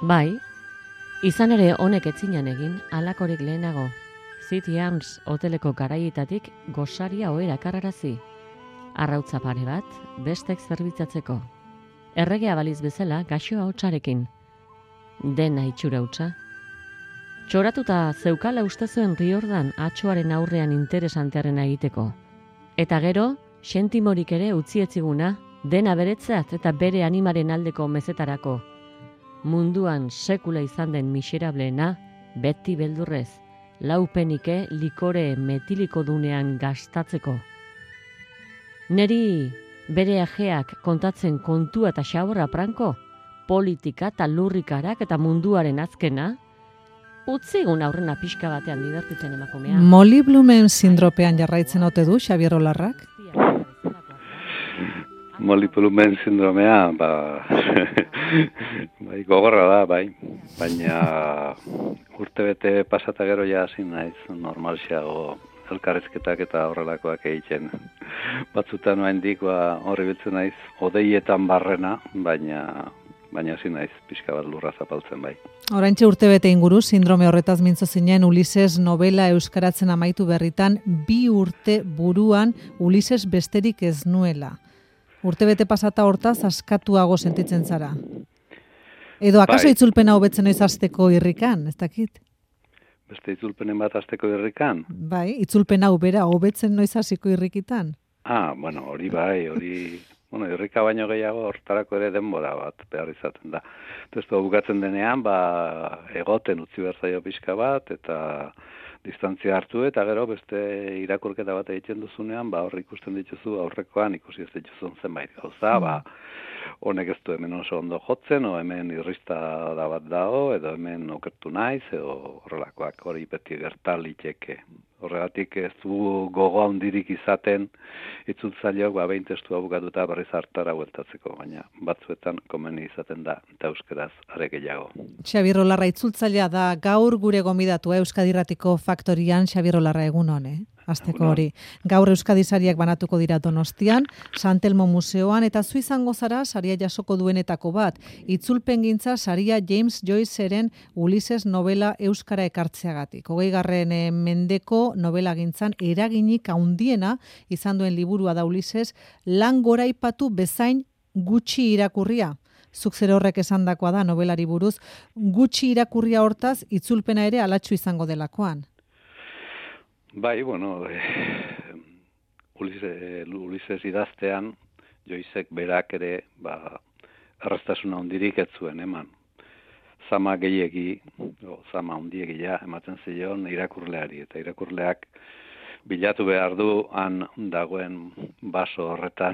Bai, izan ere honek etzinan egin halakorik lehenago. City Arms hoteleko garaietatik gosaria ohera karrarazi. Arrautza pare bat, bestek zerbitzatzeko. Erregea baliz bezala gaxoa hotsarekin. Dena itxura hutsa. Txoratuta zeukala uste zuen Riordan atxoaren aurrean interesantearena egiteko. Eta gero, sentimorik ere utzi etziguna, dena beretzat eta bere animaren aldeko mezetarako. Munduan sekula izan den miserableena, beti beldurrez, laupenike likore metiliko dunean gastatzeko. Neri bere ajeak kontatzen kontua eta xaborra pranko, politika eta lurrikarak eta munduaren azkena, utzigun aurrena pixka batean divertitzen emakumea. Molly Blumen sindropean jarraitzen ote du Xabier Olarrak? Molly Blumen sindromea, bai, gogorra da, bai. Baina urtebete pasata gero ja hasi naiz normalxeago elkarrizketak eta horrelakoak egiten. Batzutan oraindik horri biltzen naiz odeietan barrena, baina hasi naiz pixka bat lurra zapaltzen bai. Oraintxe urtebete inguru sindrome horretaz mintzo zinen Ulises novela euskaratzen amaitu berritan 2 urte buruan Ulises besterik ez nuela. Urtebete pasata hortaz askatuago sentitzen zara. Edo akaso itzulpena hobetzen noiz hasteko irrikan, ez dakit? Beste itzulpenen bat hasteko irrikan? Bai, itzulpen hau bera hobetzen noiz hasiko irrikitan? Bueno, hori bai, irrika baino gehiago hortarako ere denbora bat behar izaten da. Testu bukatzen denean, egoten utzi behar zaio pixka bat, eta distantzia hartu, eta gero beste irakurketa bat egiten duzunean, hor ikusten dituzu aurrekoan ikusi ez dituzun zenbait gauza, honek ez du hemen oso ondo jotzen, o hemen irrista da bat dago, edo hemen okertu naiz, edo horrelakoak hori beti gerta liteke. Horregatik ez du gogo handirik izaten itzultzaileok behin testua bukatuta berriz hartara bueltatzeko, baina batzuetan komeni izaten da eta euskeraz are gehiago. Xabier Olarra itzultzailea da gaur gure gonbidatua Euskadi Irratiko Faktorian. Xabier Olarra egun on, Asteko hori. Gaur Euskadi sariak banatuko dira Donostian, San Telmo Museoan, eta zu izango zara saria jasoko duenetako bat. Itzulpengintza saria James Joyceren Ulises novela euskara ekartzeagatik. 20. mendeko novelagintzan eraginik handiena izan duen liburua da Ulises, lan goraipatu bezain gutxi irakurria. Zuk zer horrek esandakoa da novelari buruz, gutxi irakurria hortaz itzulpena ere alatxu izango delakoan. Bai, Ulises idaztean, Joycek berak ere, erraztasuna handirik ez zuen eman. Zama gehiegi, zama handiegia ematen zion irakurleari, eta irakurleak bilatu behar du han dagoen baso horretan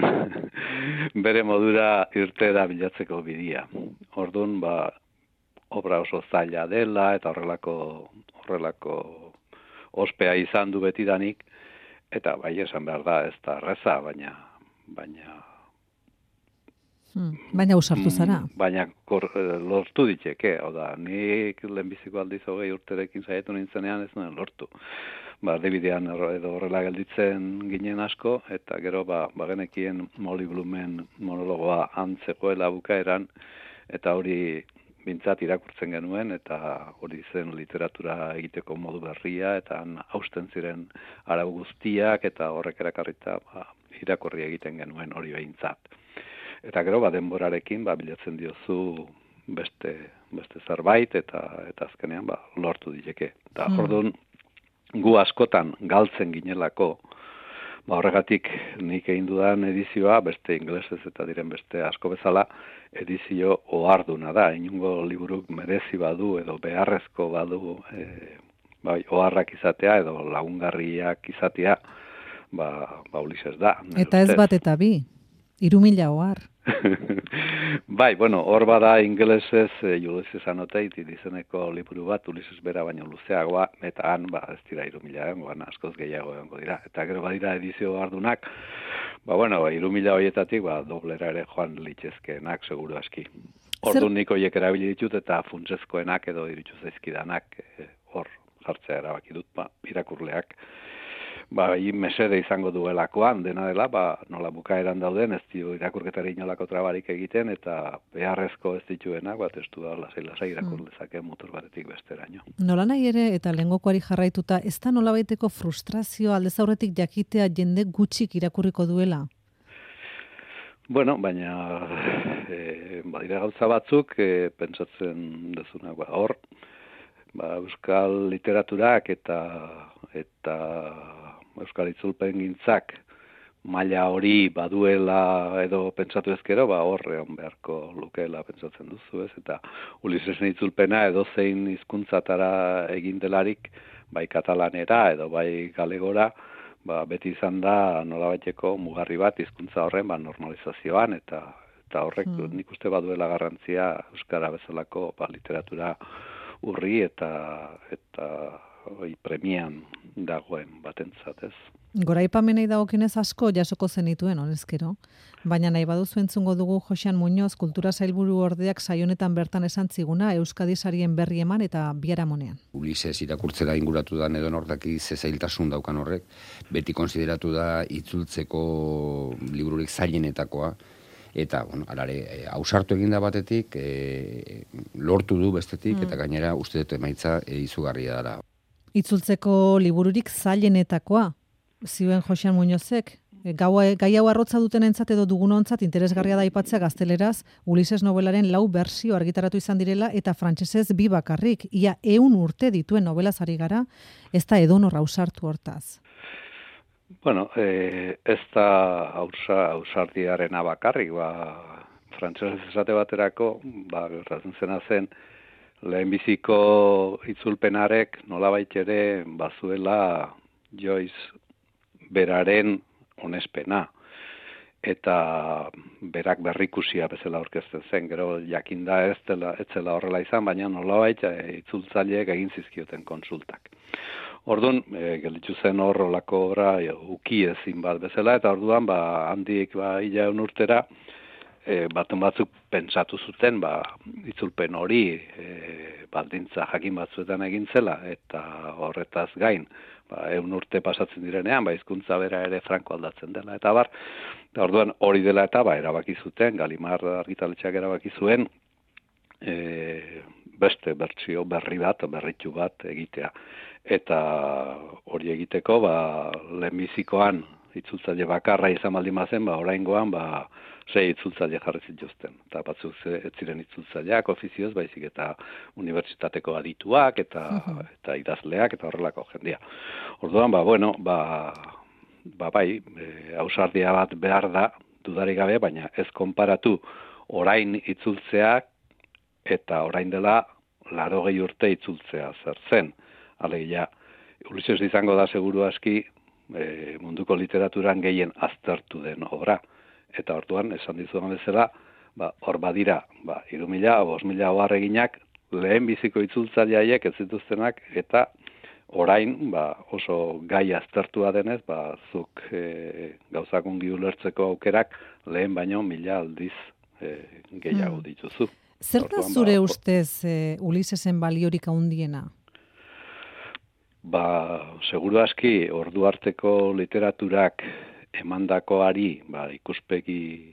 bere modura irtera bilatzeko bidia. Orduan, obra oso zaila dela, eta horrelako ospea izan du betidanik, eta esan behar da, ez da erreza, baina usartu zara. Baina lortu diteke, nik lehenbiziko aldiz 20 urterekin saiatu nintzenean ez nuen lortu. Erdibidean edo horrela gelditzen ginen asko, eta gero genekien Molly Blumen monologoa antzegoela bukaeran, eta hori bintzat irakurtzen genuen, eta hori zen literatura egiteko modu berria, eta hausten ziren arau guztiak, eta horrek erakarrita irakurri egiten genuen hori behintzat. Eta gero, denborarekin, bilatzen diozu beste zerbait, eta azkenean, lortu diteke. Eta orduan, gu askotan galtzen ginelako, horregatik nik egin dudan edizioa, beste ingelesez eta diren beste asko bezala, edizio oharduna da. Inungo liburuk merezi badu edo beharrezko badu oharrak izatea edo lagungarriak izatea, Ulises da. Eta ez bat eta bi, 3.000 ohar. Hor bada ingelesez Ulysses Annotated izeneko liburu bat, Ulises bera baino luzeagoa, eta han ez dira 3.000 askoz gehiago egongo dira. Eta gero badira edizio hardunak, 3.000 horietatik doblera ere joan litzezkeenak, seguru aski. Orduan nik horiek erabili ditut eta funtsezkoenak edo iritsu zaizkidanak hor jartzea erabaki dut, irakurleak mesede izango duelakoan, dena dela, nola bukaeran dauden, ez dio irakurketari inolako trabarik egiten, eta beharrezko ez dituenak, testu da lasai irakur lezake motor batetik besteraino. Nola nahi ere, eta lehengokoari jarraituta, ez da nolabaiteko frustrazio aldez aurretik jakitea jende gutxik irakurriko duela? Bueno, baina badira gauza batzuk, pentsatzen dezunak, hor, euskal literaturak eta euskal itzulpen gintzak maila hori baduela edo pentsatu ezkero, horrean beharko lukeela pentsatzen duzu, ez? Eta Ulisesen itzulpena edo zein hizkuntzatara egin delarik, bai katalanera edo bai galegora, beti izan da nolabaiteko mugarri bat hizkuntza horren normalizazioan eta horrek nik uste baduela garrantzia euskara bezalako literatura urri eta premian dagoen batentzat, ez? Goraipamenei dagokienez asko jasoko zenituen, honezkero. Baina nahi baduzu entzungo dugu Joxean Muñoz kultura sailburu ordeak saionetan bertan esan ziguna Euskadi sarien berri eman eta biharamonean. Ulises irakurtzera inguratu da edo nortaki zailtasun daukan horrek, beti konsideratu da itzultzeko libururik zailenetakoa. Eta, alare, ausartu eginda batetik, lortu du bestetik, eta gainera uste dut emaitza izugarria dara. Itzultzeko libururik zailenetakoa, zioen Joxean Muñozek, gai hau arrotza dutenentzat edo dugunontzat interesgarria da aipatzea gazteleraz Ulises novelaren 4 bersio argitaratu izan direla eta frantsesez 2 bakarrik, ia 100 urte dituen novelaz ari gara, ez da edonor ausartu hortaz. Bueno, ez da ausardiarena bakarrik, frantsesez esate baterako, gertatzen zena zen, lehenbiziko itzulpenarek nolabait ere bazuela Joyce beraren onespena. Eta berak berrikusia bezala aurkezten zen, gero jakinda ez zela horrela izan, baina nolabait itzultzaileek egin zizkioten konsultak. Orduan, gelditu zen horrelako obra uki ezin bat bezala, eta orduan, handik hilaun urtera, batzuk pentsatu zuten, itzulpen hori baldintza jakin batzuetan egin zela, eta horretaz gain, 100 urte pasatzen direnean, hizkuntza bera ere franko aldatzen dela, eta orduan hori dela eta erabaki zuten, Galimar argitaletxeak erabaki zuen, beste bertsio berritu bat egitea. Eta hori egiteko, lehenbizikoan itzultzaile bakarra izan baldin bazen, oraingoan 6 itzultzaile jarri zituzten. Eta batzuk ez ziren itzultzaileak ofizioz, baizik eta unibertsitateko adituak eta idazleak eta horrelako jendia. Orduan, ausardia bat behar da, dudarik gabe, baina ez konparatu orain itzultzeak eta orain dela 80 urte itzultzea zer zen. Alegia, Ulises izango da seguru aski munduko literaturan gehien aztertu den obra. Eta orduan, esan dizudan bezala, hor badira, 3.000, 5.000 oharreginak lehen biziko itzultzaileak ez zituztenak, eta orain oso gai aztertua denez, zuk gauzak ongi ulertzeko aukerak lehen baino 1000 aldiz gehiago dituzu. Zer da zure ustez Ulisesen baliorik handiena? Seguru aski ordu arteko literaturak emandakoari ikuspegi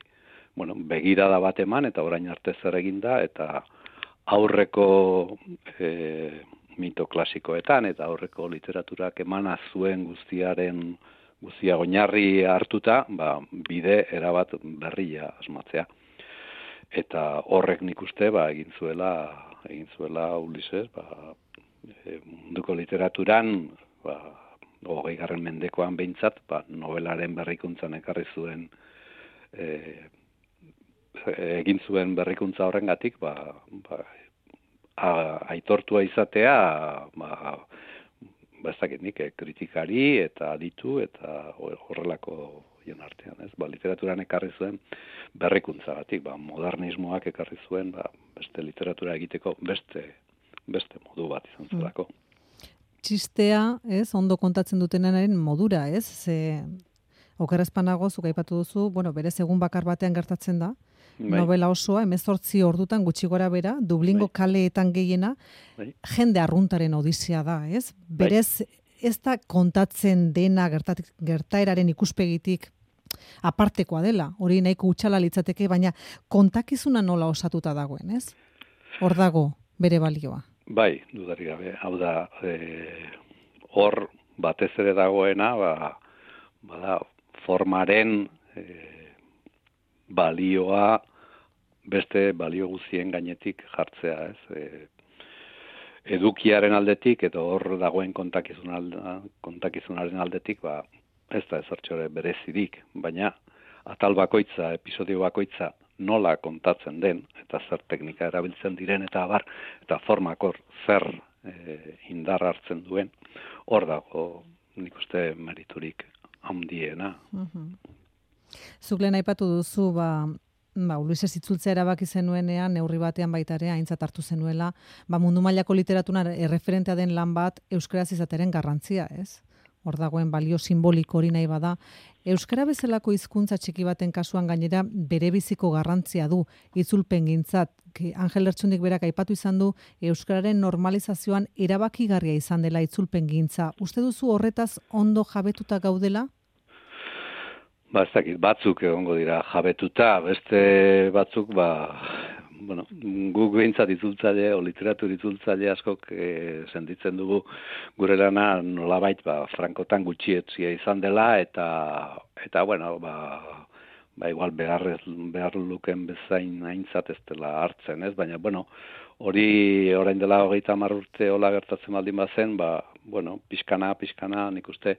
begirada bat eman eta orain arte zer egin da eta aurreko mito klasikoetan eta aurreko literaturak emana zuen guztia oinarri hartuta bide erabat berria asmatzea. Eta horrek nik uste egin zuela Ulises munduko literaturan 20. mendekoan behintzat, novelaren berrikuntzan ekarri zuen egin zuen berrikuntza horrengatik, aitortua izatea, ez dakit nik, kritikari eta aditu eta horrelako jon artean, ez? Literaturan ekarri zuen berrikuntzagatik, modernismoak ekarri zuen, beste literatura egiteko beste modu bat izan zelako. Txistea, ez, ondo kontatzen dutenaren modura, ez? Okerrezpanago, zuk aipatu duzu, berez egun bakar batean gertatzen da, novela osoa, 18 ordutan gutxi gora bera, Dublingo kaleetan gehiena, jende arruntaren odisea da, ez? Berez, ez da kontatzen dena gertaeraren ikuspegitik apartekoa dela, hori nahiko utxala litzateke, baina kontakizuna nola osatuta dagoen, ez? Hor dago bere balioa. Bai, dudarik gabe, hau da, hor batez ere dagoena, bada, formaren balioa beste balio guztien gainetik jartzea, ez? Edukiaren aldetik, eta hor dagoen kontakizunaren aldetik, ez da ezertxore berezirik, baina atal bakoitza, episodio bakoitza nola kontatzen den, eta zer teknika erabiltzen diren, eta abar, eta formakor zer indar hartzen duen, hor dago nik uste meriturik handiena. Zuk lehen aipatu duzu, Ulises itzultzea erabaki zenuenean, neurri batean baita ere, aintzat hartu zenuela, mundu mailako literatura erreferentea den lan bat euskaraz izateren garrantzia, ez? Hor dagoen balio simboliko hori nahi bada. Euskara bezalako hizkuntza txiki baten kasuan gainera bere biziko garrantzia du itzulpengintzat. Angel Lertxundik berak aipatu izan du euskararen normalizazioan erabakigarria izan dela itzulpengintza. Uste duzu horretaz ondo jabetuta gaudela? Ez dakit, batzuk egongo dira jabetuta, beste batzuk, guk behintzat itzultzaile, o literatur itzultzaile askok sentitzen dugu gure lana nolabait frankotan gutxietzia izan dela, eta igual behar luken bezain aintzat ez dela hartzen, ez? Baina, hori orain dela 30 urte hola gertatzen baldin bazen, pixkana nik uste,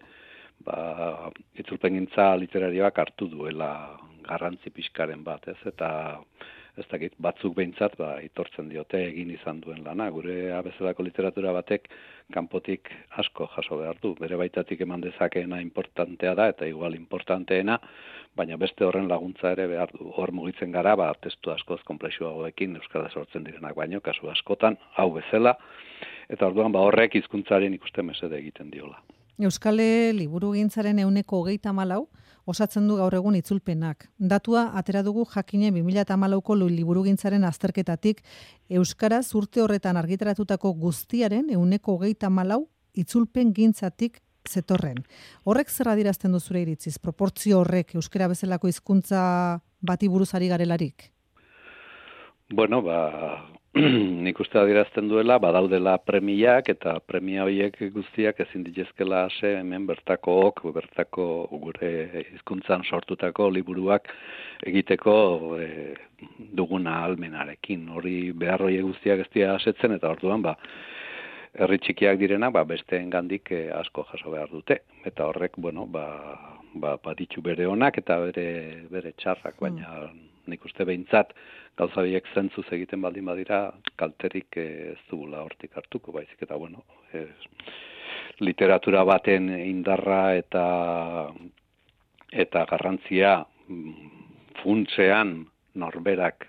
itzulpengintza literarioak hartu duela garrantzi pixkaren bat, ez? Eta ez dakit, batzuk behintzat, itortzen diote egin izan duen lana. Gure abezalako literatura batek kanpotik asko jaso behar du. Bere baitatik eman dezakeena importantea da, eta igual importanteena, baina beste horren laguntza ere behar du. Hor mugitzen gara, testu askoz konplexuagoekin euskara sortzen direnak baino, kasu askotan, hau bezala, eta orduan horrek hizkuntzaren ikuste mesede egiten diola. Euskale liburugintzaren 24% osatzen du gaur egun itzulpenak. Datua atera dugu jakinen 2014ko liburugintzaren azterketatik euskaraz urte horretan argitaratutako guztiaren 24% itzulpengintzatik zetorren. Horrek zer adierazten du zure iritziz? Proportzio horrek euskara bezalako hizkuntza bati buruz ari garelarik? Nik uste adierazten duela, badaudela premiak, eta premia horiek guztiak ezin ditezkela ase hemen bertako gure hizkuntzan sortutako liburuak egiteko duguna ahalmenarekin. Hori behar horiek guztiak ez dira asetzen, eta orduan herri txikiak direna, besteengandik asko jaso behar dute. Eta horrek, baditu bere onak eta bere txarrak, baina nik uste behintzat gauza biek zentzuz egiten baldin badira, kalterik ez dugula hortik hartuko, baizik eta literatura baten indarra eta garrantzia funtsean norberak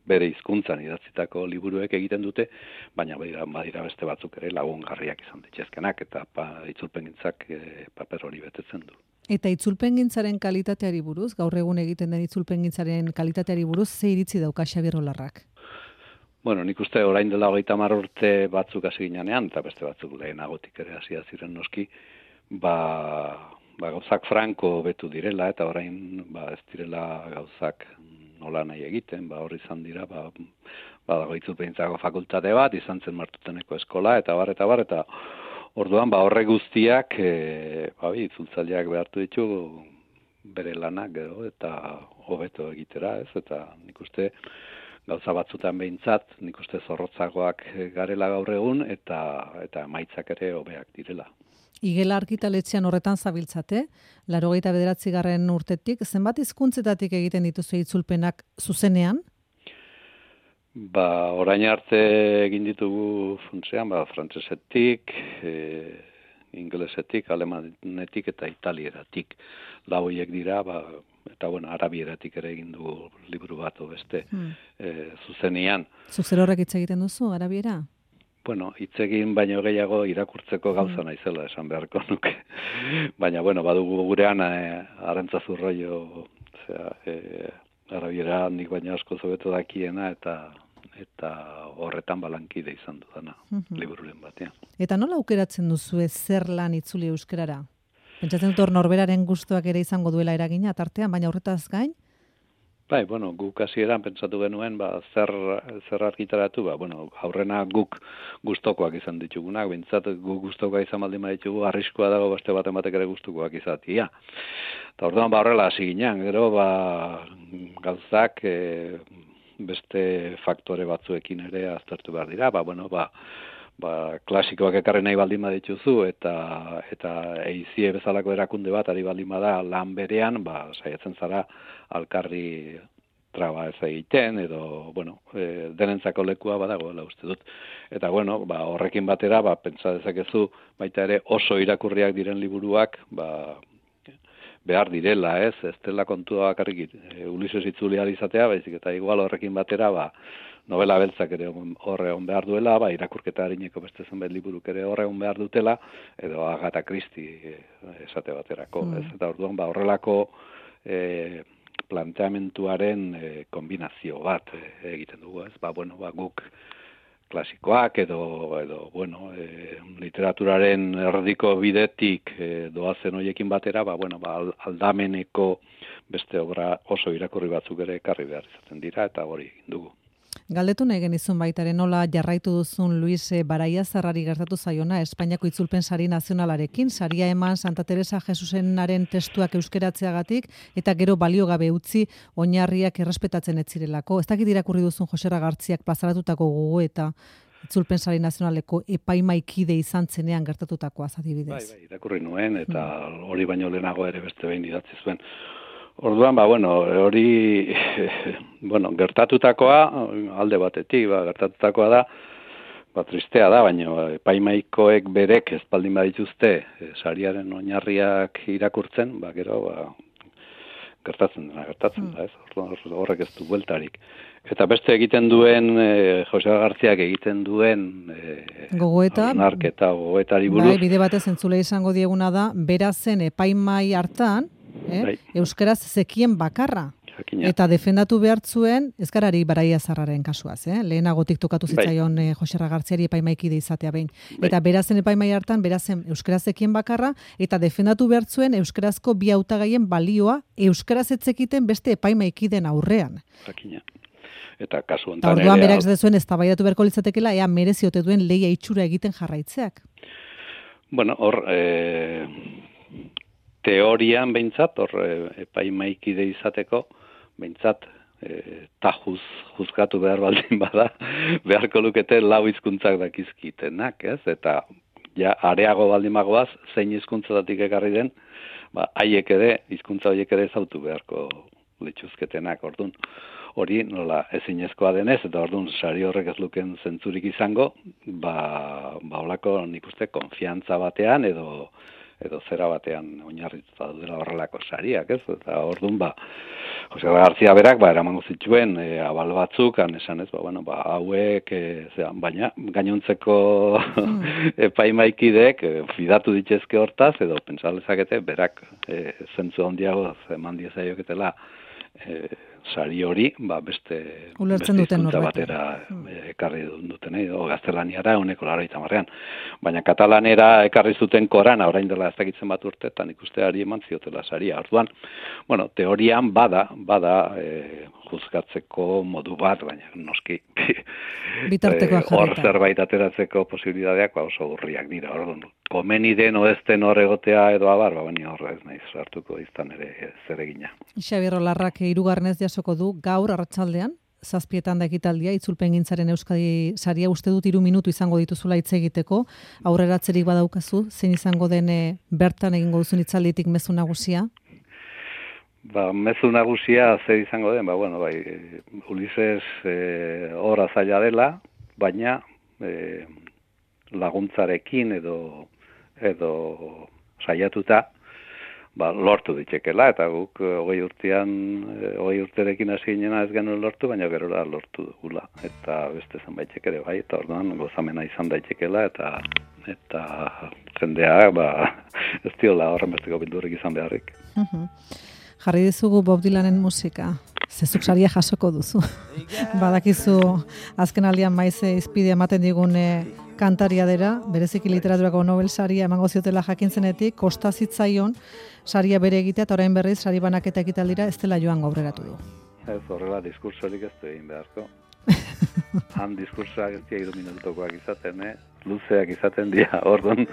bere hizkuntzan idatzitako liburuek egiten dute, baina badira beste batzuk ere lagungarriak izan ditezkenak, eta itzulpengintzak paper hori betetzen du. Eta itzulpengintzaren kalitateari buruz, gaur egun egiten den itzulpengintzaren kalitateari buruz, ze iritzi dauka Xabier Olarrak? Nik uste orain dela 30 urte batzuk hasi ginean, eta beste batzuk lehenagotik ere hasia ziren noski, gauzak franko betu direla, eta orain ez direla gauzak nola nahi egiten, hor izan dira, badago itzulpengintzako fakultate bat, izan zen Martuteneko eskola, eta orduan, horre guztiak, itzultzaileak behartu ditu bere lanak gero, eta hobeto egitera, ez? Eta nik uste gauza batzutan behintzat, nik uste zorrotzagoak garela gaur egun, eta emaitzak ere hobeak direla. Igela Argitaletxean horretan zabiltzate, 89. urtetik, zenbat hizkuntzetatik egiten dituzu itzulpenak zuzenean? Orain arte egin ditugu funtsean, frantsesetik, ingelesetik, alemanetik eta italieratik. Lau horiek dira, eta arabieratik ere egin dugu liburu bat beste zuzenean. Zuzer horrek hitz egiten duzu, arabiera? Hitz egin baino gehiago irakurtzeko gauza naizela esan beharko nuke. Baina, badugu gurean Arantzazu Rollo, arabiera nik baino asko zobeto dakiena, eta eta horretan balankide izan dudana libururen batean. Eta nola aukeratzen duzu zer lan itzuli euskerara? Pentsatzen dut hor norberaren gustuak ere izango duela eragina tartean, baina horretaz gain? Bai, bueno, guk hasieran pentsatu genuen, zer argitaratu, aurrena guk gustokoak izan ditugunak, bintzat guk gustokoak izan baldin baditugu, arriskoa dago beste batek ere gustokoak izatia. Eta orduan horrela hasi ginen, gero gauzak beste faktore batzuekin ere aztertu behar dira, klasikoak ekarri nahi baldin badituzu eta eizie bezalako erakunde bat ari baldin bada lan berean, saiatzen zara alkarri traba ez egiten edo, denentzako lekua badagoela uste dut. Eta, horrekin batera, pentsa dezakezu baita ere oso irakurriak diren liburuak, behar direla, ez dela kontua bakarrik Ulises itzuli izatea, baizik eta igual horrekin batera, novela beltzak ere horre on behar duela, irakurketa harineko beste zenbait liburuk ere horre on behar dutela, edo Agatha Christie esate baterako, ez? Eta orduan, horrelako planteamentuaren kombinazio bat egiten dugu, ez? Guk klasikoak edo literaturaren erdiko bidetik doazen hoiekin batera, aldameneko beste obra oso irakurri batzuk ere ekarri behar izaten dira, eta hori egin dugu. Galdetu nahi genizun baitaren nola jarraitu duzun Luis Baraiazarrari gertatu zaiona Espainiako Itzulpen Sari Nazionalarekin, saria eman Santa Teresa Jesusenaren testuak euskeratzeagatik eta gero baliogabe utzi oinarriak errespetatzen ez zirelako. Ez dakit irakurri duzun Joserra Gartziak plazaratutako gogoeta Itzulpen Sari Nazionaleko epaimaikide izan zenean gertatutakoa adibidez. Bai, irakurri nuen eta hori baino lehenago ere beste behin idatzi zuen. Orduan, hori, gertatutakoa, alde batetik, gertatutakoa da, tristea da, baina epaimaikoek berek ez baldin badituzte sariaren oinarriak irakurtzen, gero, gertatzen da, ez? Horrek ez du bueltarik. Eta beste egiten duen, Jose Gartziak egiten duen gogoeta, gogoetari buruz. Bide batez entzule izango dieguna da, berazen epaimai hartan, euskaraz zekien bakarra. Eta defendatu behar zuen, ezkarari Baraiazarraren kasuaz, lehenagotik tokatu zitzaion Joserra Gartziari epaimaikide izatea behin. Eta berazen epaimai hartan, berazen euskaraz zekien bakarra, eta defendatu behar zuen euskarazko bi hautagaien balioa euskaraz etzekiten beste epaimaikiden aurrean. Eta kasu honetan ere... Orduan berak zuen eztabaidatu beharko litzatekeela, ea mereziote duen lehia itxura egiten jarraitzeak. Hor... teorian behintzat, epaimaikide izateko, behintzat, juzgatu behar baldin bada, beharko lukete lau hizkuntzak dakizkitenak, ez? Eta areago baldin bagoaz, zein hizkuntzatatik ekarri den, haiek ere, hizkuntza horiek ere ezautu beharko lituzketenak, orduan. Hori nola ezinezkoa denez, eta orduan sari horrek ez luken zentzurik izango, holako nik uste konfiantza batean edo zera batean oinarrituta dela horrelako sariak, ez? Eta orduan, Jose Gartzia berak, eramango zituen abal batzuk, esan ez, hauek, baina gainontzeko epaimaikideek fidatu ditezke hortaz, edo pensalezakete, berak zentzu handiago eman diezaioketela sari hori, beste hizkuntza batera ekarri duten, edo gaztelaniara 180. Baina katalanera ekarri zuten Korana, orain dela ez dakitzen bat urte, eta nik uste ari eman ziotela saria. Orduan, teorian bada juzgatzeko modu bat, baina noski hor zerbait ateratzeko posibilitateak oso urriak dira. Orduan, komeni den oezten hor egotea edo abar, baina horra ez nahiz hartuko izan ere zeregina. Xabier Olarrak hirugarrenez jasoko du gaur arratsaldean, 7:00 da ekitaldia, Itzulpengintzaren Euskadi saria, uste dut 3 minutu izango dituzula hitz egiteko, aurreratzerik badaukazu, zein izango den bertan egingo duzun hitzalditik mezu nagusia? Mezu nagusia zer izango den, Ulises hor azaila dela, baina laguntzarekin edo saiatuta lortu ditekela, eta guk 20 urterekin hasi ginena ez genuen lortu, baina gero da lortu dugula, eta beste zenbaitek ere bai, eta orduan gozamena izan daitekela, eta jendea ez diola horren besteko bildurik izan beharrik. Jarri dizugu Bob Dylanen musika. Zezuk saria jasoko duzu. Badakizu, azken aldian maize izpide ematen digun kantaria dela, bereziki literaturako Nobel saria emango ziotela jakintzenetik, kosta zitzaion saria bere egitea, eta orain berriz sari banaketa ekitaldira ez dela joan aurreratu du. Ez horrela diskursorik ez du egin beharko. Han diskursoak ez dira 3 minutukoak izaten, luzeak izaten dira. Orduan,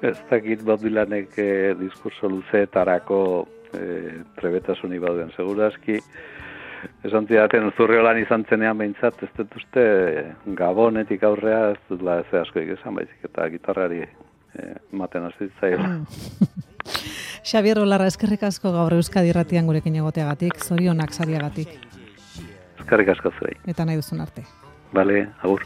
ez dakit Bob Dylanek diskurso luzeetarako trebetasunik bauden. Segurazki, esan zidaten Zurriolan izan zenean behintzat, ez dut uste Gabonetik aurrea ez dutela ez askoik esan baizik, eta gitarrari ematen hasi zitzaiola. Xabier Olarra, eskerrik asko gaur Euskadi Irratian gurekin egoteagatik, zorionak sariagatik. Eskerrik asko zuei. Eta nahi duzun arte. Bale, agur.